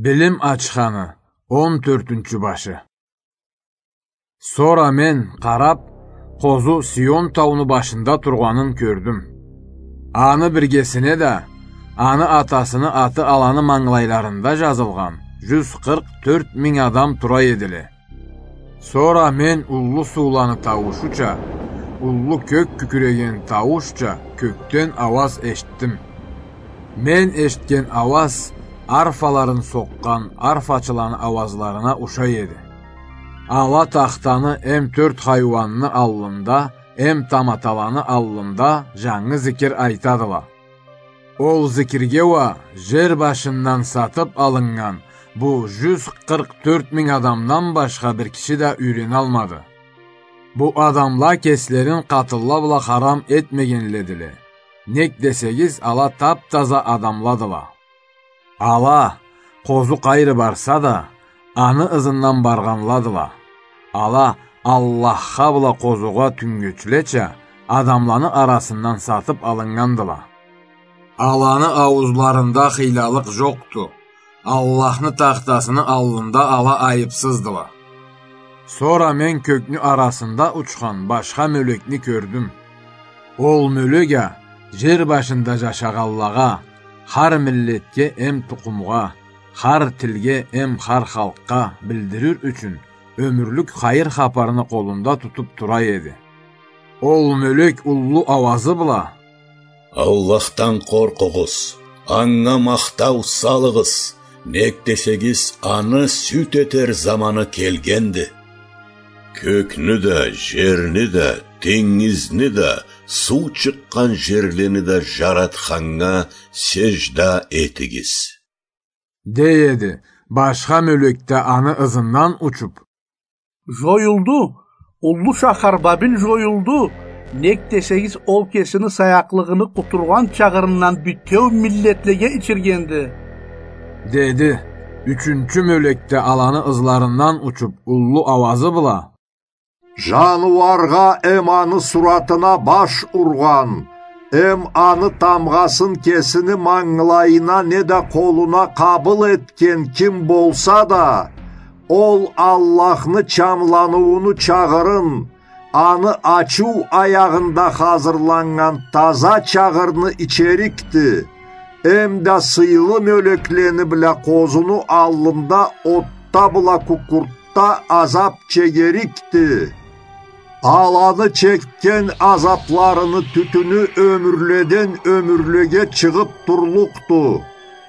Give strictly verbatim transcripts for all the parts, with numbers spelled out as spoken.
Билим ачханы, он тёртюнчю башы. Сора мен, къарап, къозу Сион тауну башында тургъанын кёрдюм. Аны биргесине да аны атасыны аты аланы мангылайларында жазылгъан жюз къыркъ тёрт минг адам тура эдиле. Сора мен уллу сууланы тауушуча, уллу кёк кюкюреген тауушча кёкден ауаз эшитдим. Мен эшитген ауаз арфаларын сокъгъан арфачыланы ауазларына ушай эди. Ала тахтаны эм тёрт хайуанны аллында, эм таматаланы аллында жангы зикир айтадыла. Ол зикирге уа жер башындан сатып алыннган бу жюз къыркъ тёрт минг адамдан башха бир киши да юйреналмады. Бу адамла кеслерин къатынла бла харам этмегенледиле. Нек десегиз, ала тап-таза адамладыла. Ала, къозу къайры барса да, аны ызындан баргъанладыла. Ала Аллахха бла къозугъа тюнгечлеча адамланы арасындан сатып алыннгандыла. Аланы ауузларында хыйлалыкъ жокъду. Аллахны тахтасыны аллында ала айыпсыздыла. Сора мен кёкню арасында учхан башха мёлекни кёрдюм. Ол мёлек а жер башында жашагъанлагъа, хар миллетге эм тукъумгъа, хар тилге эм хар халкъгъа билдирир ючюн, ёмюрлюк хайыр хапарны къолунда тутуп тура эди. Ол мёлек уллу ауазы бла: «Аллахдан къоркъугъуз, анга махтау салыгъыз, нек десегиз, аны сюд этер заманы келгенди. Кёкню да, жерни да, тенгизни да, суу чыкъгъан жерлени да жаратханнга сежда этигиз», — дей эди. Башха мёлек да аны ызындан учуп: «Жоюлду, уллу шахар Бабил жоюлду, нек десегиз, ол кесини саякълыгъыны къутургъан чагъырындан битеу миллетлеге ичиргенди», — деди. Ючюнчю мёлек да аланы ызларындан учуп, уллу ауазы бла: «Жаныуаргъа эм аны суратына баш ургъан, эм аны тамгъасын кесини мангылайына неда къолуна къабыл этген ким болса да, ол Аллахны чамланыууну чагъырын, аны ачыу аягъында хазырланнган таза чагъырны ичерикди, эм да сыйлы мёлеклени бла къозуну аллында отда бла кукуртда азап чегерикди. Аланы чекген азапларыны тютюню ёмюрледен ёмюрлеге чыгъып турлукъду.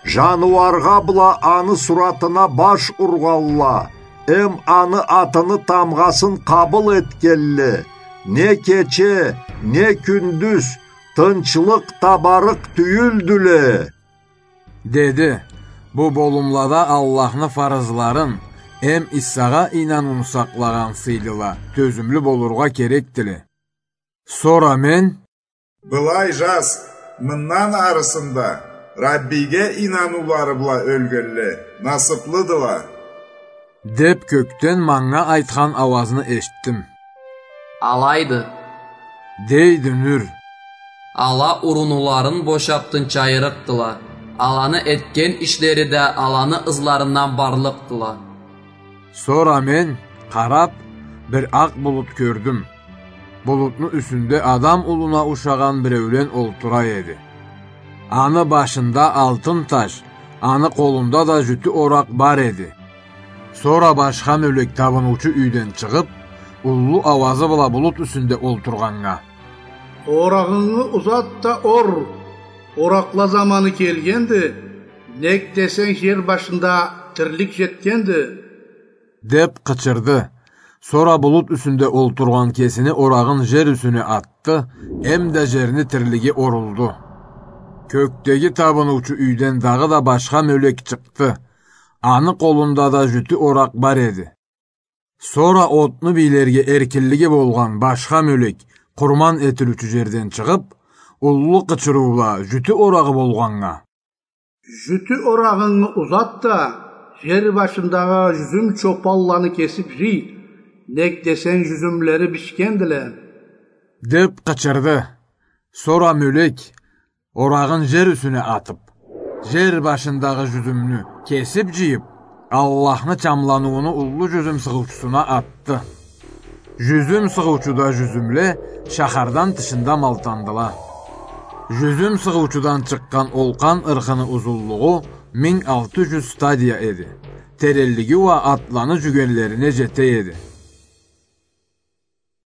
Жаныуаргъа бла аны суратына баш ургъанла, эм аны атыны тамгъасын къабыл этгенле, не кече, не кюндюз тынчлыкъ табарыкъ тюйюлдюле», — деди. Бу болумлада Аллахны фарызларын эм Исагъа ийнанууну сакълагъан сыйлыла тёзюмлю болургъа керекдиле. Сора мен: «Былай жаз, мындан арысында Раббиге ийнануулары бла ёлгенле насыплыдыла», — деп, кёкден манга айтхан ауазны эшитдим. «Алайды, — дейди Нюр. — Ала урунуларын бошап тынчайырыкъдыла, аланы этген ишлери да аланы ызларындан барлыкъдыла». Сора мен, къарап, бир акъ булут кёрдюм. Булутну юсюнде адам улуна ушагъан биреулен олтура эди. Аны башында алтын таж, аны къолунда да жютю оракъ бар эди. Сора башха мёлек табыныучу юйден чыгъып, уллу ауазы бла булут юсюнде олтургъаннга: «Орагъынгы узат да ор, оракъла заманы келгенди, нек десенг, жер башында тирлик жетгенди», — деп къычырды. Сора булут юсюнде олтургъан кесини орагъын жер юсюне атды, эм да жерни тирлиги орулду. Кёкдеги табыныучу юйден дагъыда башха мёлек чыкъды. Аны къолунда да жютю оракъ бар эди. Сора отну бийлерге эркинлиги болгъан башха мёлек къурман этилиучю жерден чыгъып, уллу къычырыу бла жютю орагъы болгъаннга: «Жютю орагъынгы узат да, жер башындагъы жюзюм чопанланы кесип жый, нек десенг, жюзюмлери бишгендиле», — деп къычырды. Сора мёлек, орагъын жер юсюне атып, Жер башындагъы жюзюмню кесип жыйып, Аллахны чамланыууну уллу жюзюм сыгъыучусуна атды. Жюзюм сыгъыучуда жюзюмле шахардан тышында малтандыла. Жюзюм сыгъыучудан чыкъгъан олкъан ырхыны узунлугъу минг алты жюз стадия эди. Теренлиги уа атланы жюгенлерине жете эди.